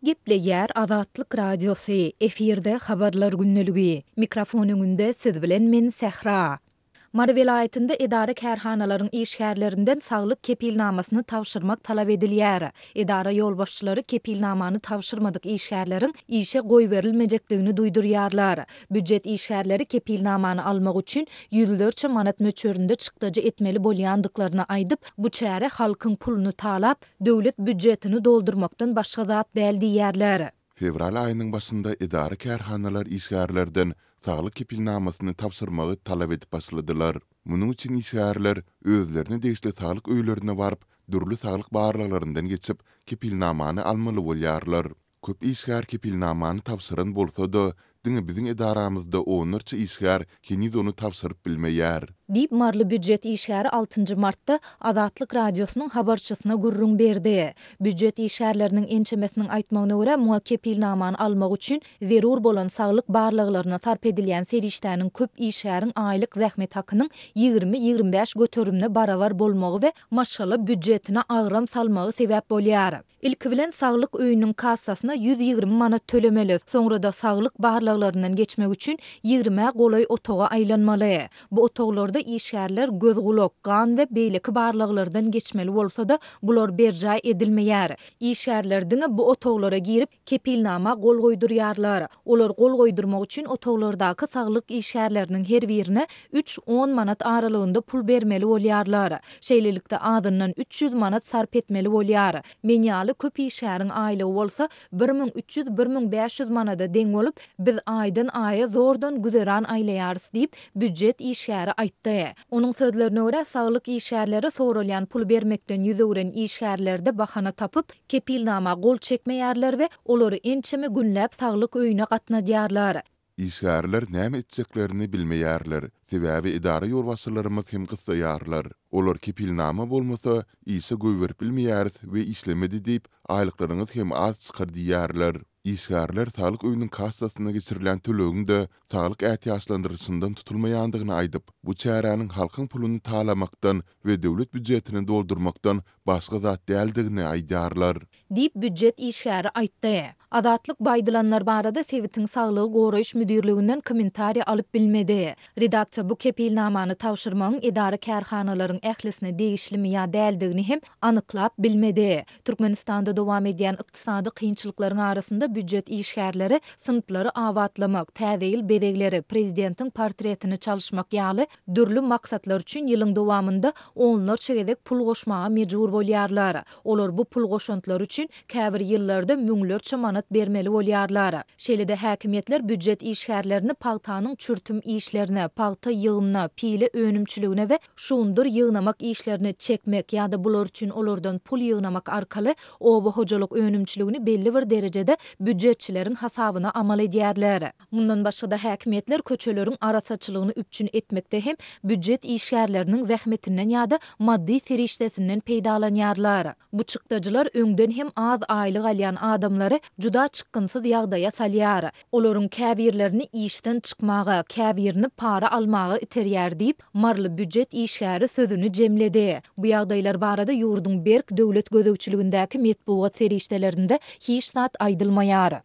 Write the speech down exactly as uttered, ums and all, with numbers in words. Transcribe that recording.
Gepleýär Azatlyk Radiosy, efirde Habarlar gündeligi. Mikrofon öňünde siz bilen men Sähra. Mary welaýatynda edara-kärhanalaryň işgärlerinden saglyk kepilnamasyny tabşyrmak talap edilýär. Edara ýolbaşçylary kepilnamany tabşyrmadyk işgärleriň işe goýberilmejekdigini duýdurýarlar. Býujet işgärleri kepilnamany almak üçin ýüzlerçe manat möçberinde çykdajy etmeli bolýandyklaryny aýdyp, bu çäre halkyň puluny talap, döwlet býujetini doldurmakdan başga zat däl diýýärler. Fewral aýynyň başynda edara-kärhanalar işgärlerden saglyk kepilnamasyny tabşyrmagy talap edip başladylar. Munuň üçin işgärler özlerine degişli saglyk öýlerine baryp, dürli saglyk barlaglaryndan geçip, kepilnamany almaly bolýarlar. Köp işgär kepilnamany tabşyran bolsa-da, diňe biziň edaramyzda onlarça işgär heniz ony tabşyryp bilmeýär. Diýip, maryly býujet işgäri altynjy martda Azatlyk Radiosynyň habarçysyna gürrüň berdi. Býujet işgärleriniň ençemesiniň aýtmagyna görä, muňa kepilnamany almak üçin zerur bolan saglyk barlaglaryna sarp edilýän serişdäniň köp işgäriň aýlyk zähmet hakynyň ýigrimi-ýigrimi bäş göterimine barabar bolmagy we maşgala býujetine agram salmagy sebäp bolýar. Ilki bilen saglyk öýüniň kassasyna ýüz ýigrimi manat tölemeli, soňra-da saglyk barlaglaryndan geçmek üçin ýigrimä golaý otaga aýlanmaly. Bu otaglarda işgärler göz-gulak, gan we beýleki barlaglardan geçmeli bolsa-da, bular berjaý edilmeýär. Işgärler diňe bu otaglara girip, kepilnama gol goýdurýarlar. Olar gol goýdurmak üçin otaglardaky saglyk işgärleriniň her birine üç-on manat aralygynda pul bermeli bolýarlar. Şeýlelikde, azyndan üç ýüz manat sarp etmeli bolýar. Men ýaly köp işgäriň aýlygy bolsa bir müň üç ýüz-bir müň bäş ýüz manada deň bolup, biz aýdan-aýa zordan güzeran aýlaýarys diýip, býujet işgäri aýtdy. Onuň sözlerine görä, saglyk işgärleri soralýan puly bermekden ýüz öwren işgärlerde bahana tapyp, kepilnama gol çekmeýärler we olary ençeme günläp saglyk öýüne gatnadýarlar. Işgärler näme etjeklerini bilmeýärler, sebäbi edara ýolbaşçylarymyz hem gyssaýarlar. Olar kepilnama bolmasa, işe goýberip bilmeýäris we işlemedi diýip, aýlyklaryňyz hem az çykar diýýärler. Işgärler saglyk öýüniň kassasyna geçirilýän tölegiň-de saglyk ätiýaçlandyryşyndan tutulmaýandygyny aýdyp, bu çäräniň halkyň puluny talamakdan we döwlet býujetini doldurmakdan başga zat däldigini aýdýarlar. Diýip, býujet işgäri aýtdy. Azatlyk bu aýdylanlar barada sebitiň saglygy goraýyş müdirliginden kommentariýa alyp bilmedi. Redaksiýa bu kepilnamany tabşyrmagyň edara-kärhanalaryň ählisine degişlimi ýa däldigini hem anyklap bilmedi. Türkmenistanda dowam edýän ykdysady kynçylyklaryň arasynda býujet işgärleri synplary abatlamak, täze ýyl bezegleri, prezidentiň portretini çalyşmak ýaly dürli maksatlar üçin ýylyň dowamynda onlarça gezek pul goşmaga mejbur bolýarlar. Olar bu pul goşantlary üçin käbir ýyllarda müňlerçe manat bermeli bolýarlar. Şeýle-de häkimiýetler býujet işgärlerini pagtanyň çürtüm işlerine, pagta ýygymyna, pile önümçiligine we şugundyr ýygnamak işlerine çekmek ýa-da bular üçin olardan pul ýygnamak arkaly oba hojalyk önümçiligini belli bir derejede býujetçileriň hasabyna amal edýärler. Mundan başga-da häkimiýetler köçeleriň arassaçylygyny üpjün etmekde hem býujet işgärleriniň zähmetinden ýa-da maddy serişdesinden peýdalanýarlar. Bu çykdajylar öňden hem az aýlyk alýan adamlary juda çykgynsyz ýagdaýa salýar. Olaryň käbirlerini işden çykmaga, käbirini para almaga iterýär diýip, maryly býujet işgäri sözüni jemledi. Bu ýagdaýlar barada ýurduň berk döwlet gözegçiligindäki metbugat serişdelerinde hiç zat aýdylmaýar.